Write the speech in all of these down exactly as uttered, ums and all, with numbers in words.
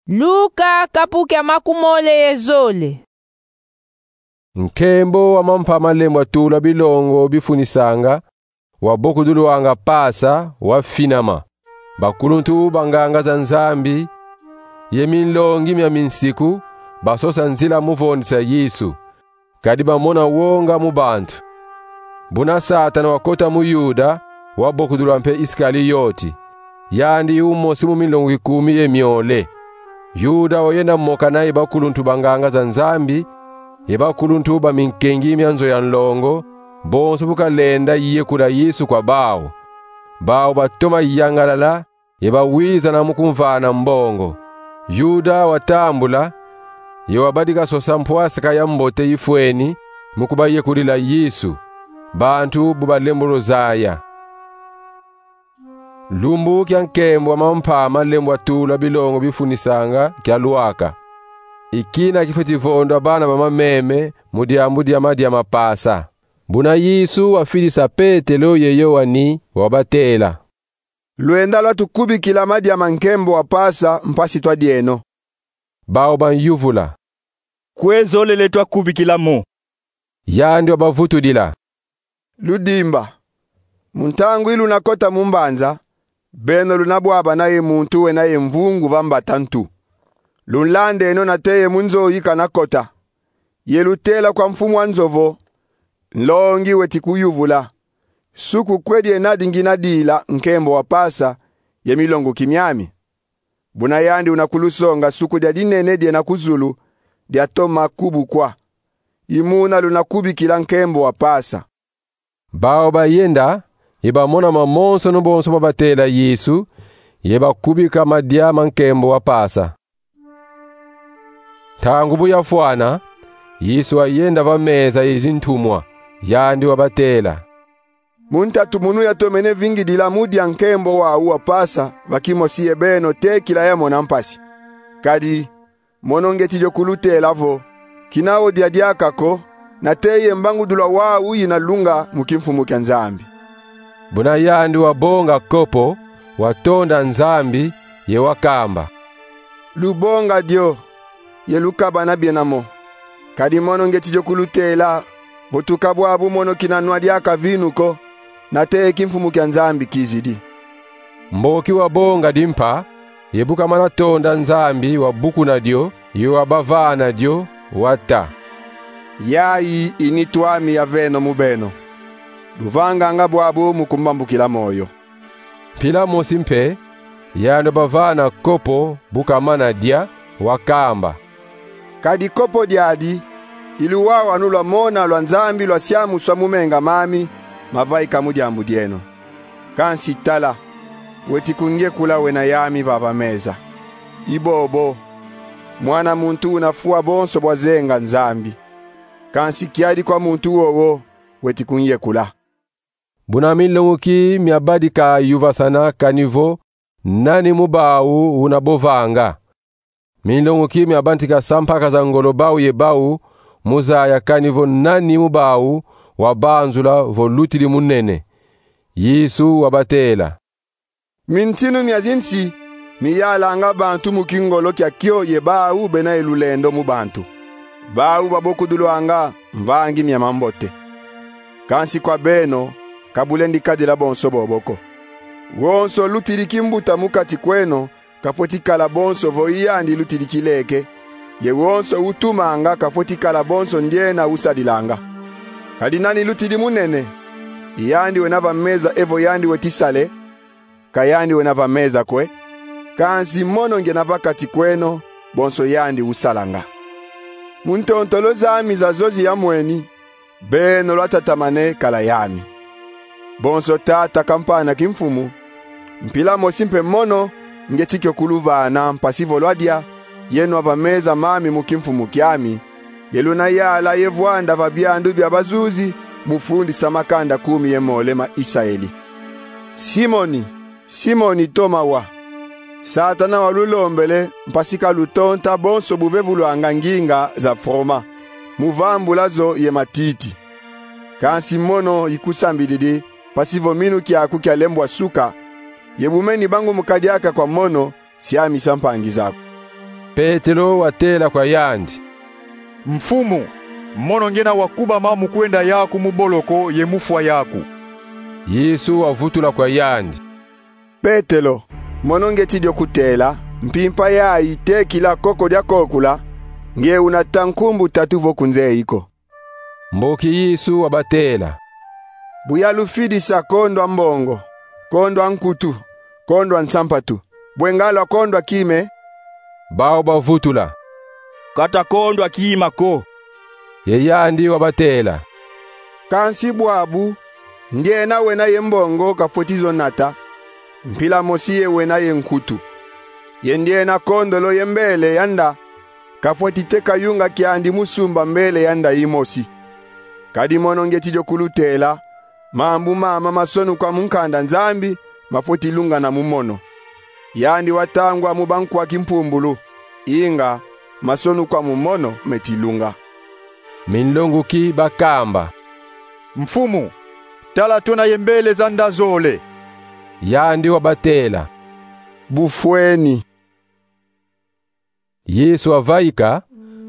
Luka kapu kia makumole ye zole. Nkembo wa mampa ma lembo a tula bilongo bifunisanga wabokudulwanga Pasa wafinama. Bakuluntu banganga za Nzambi ye minlongi mia minsiku basosa nzila mu vondisa Yesu, kadi bamona wonga mu bantu. Buna Satana wakota mu Yuda, wabokudula mpe Iskaliyoti, yandi umosi mu minlonguki kumi ye miole. Yuda wayenda mokana ye bakuluntu banganga za Nzambi ye bakuluntu ba minkengi mia nzo ya nlongo, bonso bu kalenda yekula Yesu kwa bawu. Bawu batoma yangalala ye bawizana mu kumvana mbongo. Yuda watambula ye wabadika sosa mpwasaka ya mbote ifweni mu kubayekulila Yesu, bantu bu balembolo zaya. Lumbu kia nkembo wa mampa ma lembo a tula bilongo bifunisanga kialwaka. I kina kifweti vondwa bana ba mameme mu diambu dia madia ma Pasa. Buna Yesu wafidisa Petelo ye Yoani, wabatela: Lwenda lwatukubikila madia ma nkembo wa Pasa mpasi twadieno. Bawu banyuvula: Kwe zolele twakubikila mo? Yandi wabavutudila: Ludimba. Mu ntangu yi lunakota mu mbanza, beno lunabwabana ye muntu wena ye mvungu va mbata ntu. Lunlandeno nate ye mu nzo yi kanakota, ye lutela kwa mfumu a nzo vo: Nlongi weti kuyuvula: Suku kwe diena di ngina dila nkembo wa Pasa ye milonguki miami? Buna yandi una kulusonga suku dia dinene diena ku zulu, diatoma kubukwa. I muna lunakubikila nkembo wa Pasa. Bawu bayenda ye bamona mamonsono bonso babatela Yesu, ye bakubika madia ma nkembo wa Pasa. Ntangu bu yafwana, Yesu wayenda va meza ye zintumwa, yandi wabatela: Mu ntatu munu yatomene vingidila mu dia nkembo wawu wa Pasa va kimosi ye beno te kila yamona mpasi. Kadi mono ngeti dio kulutela vo: Kina odia diaka ko, nate ye mbangudula wawu yina lunga mu kimfumu kia Nzambi. Buna yandi wabonga kopo, watonda Nzambi, ye wakamba: Lubonga dio, ye lukabana biena mo. Kadi mono ngeti dio kulutela vo tuka bwabu mono kina nwa diaka vinu ko, nate ye kimfumu kia Nzambi kizidi. Mboki wabonga dimpa, ye bu kamana tonda Nzambi, wabukuna dio, ye wabavana dio, wata: Yayi i nitu ami yaveno mu beno. Luvanganga bwabu mu kumbambukila moyo. Mpila mosi mpe, yandi wabavana kopo bu kamana dia, wakamba: Kadi kopo diadi i luwawanu lwa mona lwa Nzambi lwasiamuswa mu menga mami, mavaika mu diambu dieno. Kansi tala, weti kungiekula wena yami vava meza. I bobo, Mwana muntu una fwa bonso bwa zenga Nzambi. Kansi kiadi kwa muntu wowo weti kungiekula. Buna minlonguki miabadika yuvasana kani vo nani mu bawu una bovanga. Minlonguki miabantika sampaka za ngolo bawu ye bawu mu zaya kani vo nani mu bawu wabanzula vo lutidi munene. Yesu wabatela: Mintinu mia zinsi miyalanga bantu mu kingolo kia kio ye bawu bena ye lulendo mu bantu. Bawu babokudulwanga mvangi mia mambote. Kansi kwa beno, ka bulendi kadila bonso bobo ko. Wonso lutidi kimbuta mu kati kweno kafweti kala bonso vo i yandi lutidi kileke, ye wonso utumanga kafweti kala bonso ndiena usadilanga. Kadi nani lutidi munene, i yandi wena va meza evo yandi weti sale, ka yandi wena va meza kwe, kansi mono ngiena va kati kweno, bonso yandi usalanga. Mu ntontolo zami za zozi ya mweni, beno lwatatamane kala yami. Bonso tata kampana kimfumu, mpila mosi mpe mono ngeti kio kuluvana mpasi vo lwadia ye nwa va meza mami mu kimfumu kiami, ye luna yala ye vwanda va biandu bia bazuzi mu fundisa makanda kumi ye mole ma Isaeli. Simoni, Simoni Toma wa, Satana walulombele mpasi ka lutonta bonso bu vevulwanga nginga za froma, mu vambula zo ye matiti. Kansi mono ikusambididi mpasi vo minu kiaku kialembwa suka, ye bu meni bangumuka diaka kwa mono, siamisa mpangi zaku. Petelo watela kwa yandi: Mfumu, mono ngiena wakubama mu kwenda yaku mu boloko ye mu fwa yaku. Yesu wavutula kwa yandi: Petelo, mono ngieti dio kutela, mpimpa yayi te kila koko dia kokula, nge unata nkumbu tatu vo kunzeyi ko. Mboki Yesu wabatela: Bu yalufidisa kondwa mbongo, kondwa nkutu, kondwa nsampatu, bwe nga lwakondwa kime? Bawu bavutula: Ka twakondwa kima ko. Ye yandi wabatela: Kansi bwabu, ngiena wena ye mbongo kafweti zo nata, mpila mosi ye wena ye nkutu. Ye ndiena kondolo ye mbele ya nda kafweti teka yunga kiandi mu sumba mbele ya nda yimosi. Kadi mono ngieti dio kulutela, mambu mama masonuka mu nkanda Nzambi mafweti lungana mu mono. Yandi watangwa mu bankwa kimpumbulu, inga masonuka mu mono meti lunga. Minlonguki bakamba: Mfumu, tala twena ye mbele za nda zole. Yandi wabatela: Bufweni. Yesu wavaika,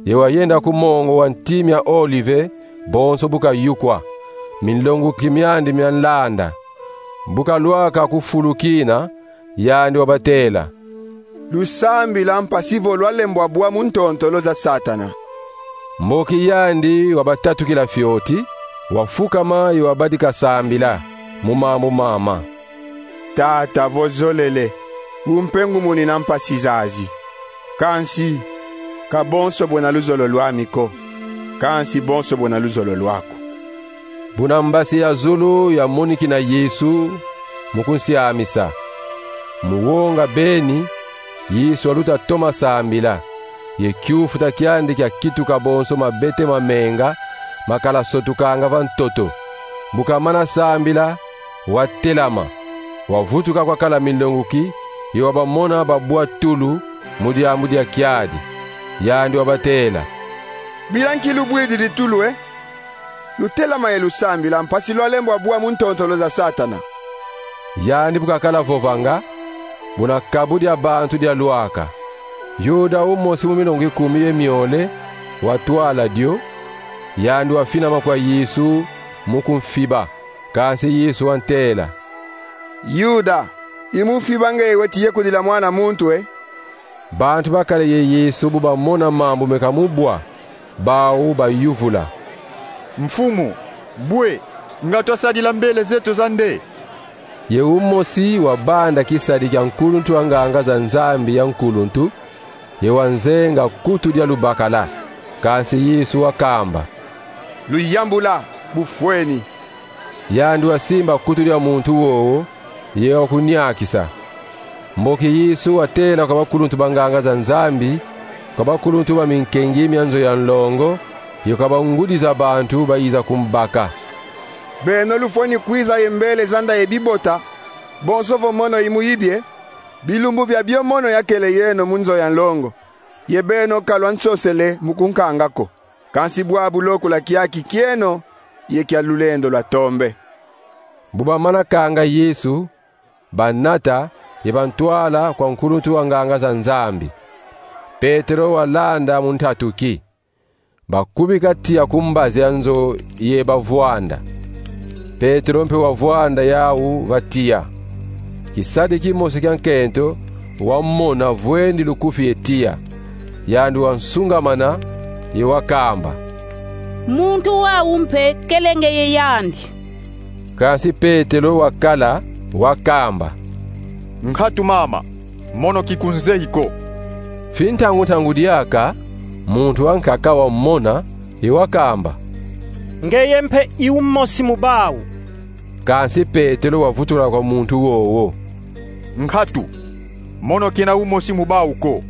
ye wayenda ku mongo wa Nti mia Olive, bonso bu kayukwa, minlonguki miandi mianlanda. Bu kalwaka ku fulu kina, yandi wabatela: Lusambila mpasi vo lwalembwa bwa mu ntontolo za Satana. Mboki yandi wabatatukila fioti, wafukama ye wabadika sambila mu mambu mama: Tata, vo zolele, umpe ngumunina mpasi zazi. Kansi, ka bonso bwena luzolo lwami ko, kansi bonso bwena luzolo lwaku. Buna mbasi ya zulu yamonikina Yesu mu kunsiamisa, mu wonga beni, Yesu waluta toma sambila, ye kiufuta kiandi kiakituka bonso mabete ma menga makala sotukanga va ntoto. Bu kamana sambila, watelama, wavutuka kwakala minlonguki, ye wabamona babwa tulu mu diambu dia kiadi. Yandi wabatela: Bila nki lubwididi tulu, e? Lutelama ye lusambila, mpasi lwalembwa bwa mu ntontolo za Satana. Yandi bu kakala vovanga, buna kabu dia bantu dialwaka. Yuda, umosi mu milongo ikumi ye miole, watwala dio, yandi wafinama kwa Yesu mu kumfiba. Kansi Yesu wantela: Yuda, i mu mfiba nge weti yekudila Mwana muntu, e? Bantu bakala ye Yesu bu bamona mambu meka mu bwa, bawu bayuvula: Mfumu, bwe nga twasadila mbele zeto za nde? Ye umosi wabanda kisadi kia nkuluntu wa nganga za Nzambi ya nkuluntu, ye wanzenga kutu dia lubakala. Kansi Yesu wakamba: Luyambula, bufweni. Yandi wasimba kutu dia muntu wowo, ye wakuniakisa. Mboki Yesu watela kwa bakuluntu ba nganga za Nzambi, kwa bakuluntu ba minkengi mia nzo ya nlongo, ye kwa bangudi za bantu bayiza kumbaka: Beno lufweni kwiza ye mbele za nda ye bibota, bonso vo mono i mu yibie, bilumbu biabio mono yakele yeno mu nzo ya nlongo, ye beno ka lwansosele mu kunkanga ko. Kansi bwabu lokula kiaki kieno ye kia lulendo lwa tombe. Bu bamana kanga Yesu, banata ye bantwala kwa nkuluntu wa nganga za Nzambi. Petelo walanda mu ntatuki. Bakubika tiya ku mbazi ya nzo ye bavwanda. Petelo mpe wavwanda yawu va tiya. Kisadi kimosi kia nkento wamona vwendi lukufi ye tiya. Yandi wansungamana ye wakamba: Muntu wawu mpe kele nge ye yandi. Kansi Petelo wakala, wakamba: Nkatu mama, mono kikunzeyi ko. Fi ntangu-ntangu diaka, muntu wankaka wamona, ye wakamba: Ngeye mpe i umosi mu bawu. Kansi Petelo wavutula kwa muntu wowo: Nkatu, mono kena umosi mu bawu ko.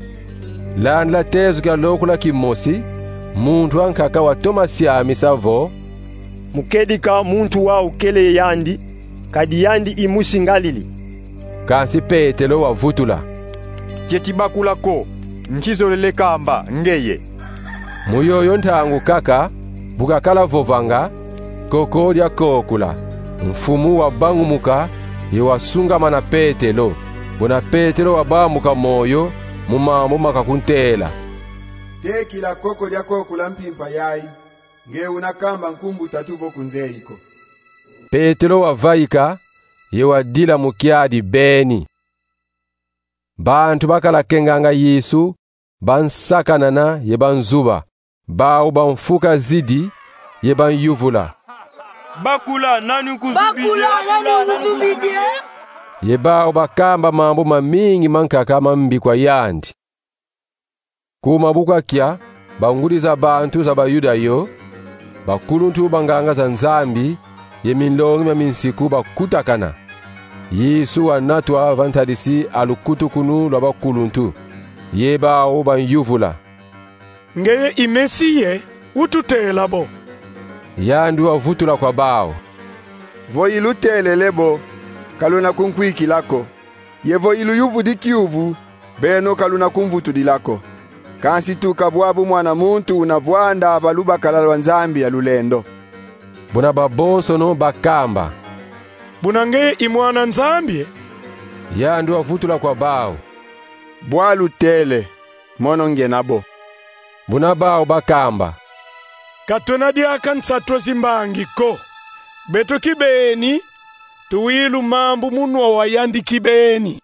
Landila tezo kia lokula kimosi, muntu wankaka watoma siamisa vo: Mu kedika muntu wawu kele yandi, kadi yandi i musi ngalili. Kansi Petelo wavutula: Kieti bakula ko, nkizolele kamba ngeye. Mu yoyo ntangu kaka, bu kakala vovanga, koko dia kokula, mfumu wabangumuka, ye wasungamana Petelo. Buna Petelo wabambuka moyo, mu mambu makakuntela: Tekila koko dia kokula mpimpa yayi, nge una kamba nkumbu tatu vo kunzeyi ko. Petelo wavaika, ye wadila mu kiadi beni. Bantu bakala kenganga Yesu, bansakanana ye banzuba, bau bamfuka zidi, ye banyuvula: Bakula, nani ukuzubidi? Ye bau bakamba mambu mamingi mankaka mambi kwa yandi. Kuma bu kwakia, bangudi za bantu za Bayuda yo, bakuluntu ba nganga za Nzambi, ye minlongi mia minsiku bakutakana. Yesu wanatwa va ntadisi a lukutukunu lwa bakuluntu, ye bau banyuvula: Ngeye i Mesiya, ututela bo? Yandi wavutula kwa bau: Vo ilutelele bo, kaluna kunkwikila ko. Ye vo iluyuvudi kiuvu, beno kaluna kumvutudila ko. Kansi tuka bwabu Mwana muntu una vwanda va lubakala lwa Nzambi ya lulendo. Buna babonsono bakamba: Buna ngeye i Mwana Nzambi? Yandi wavutula kwa bau: Bwa lutele, mono ngena bo. Buna bau bakamba: Katwena diaka nsatu a zimbangi ko. Beto kibeni, tuwilu mambu munwa wa yandi kibeni.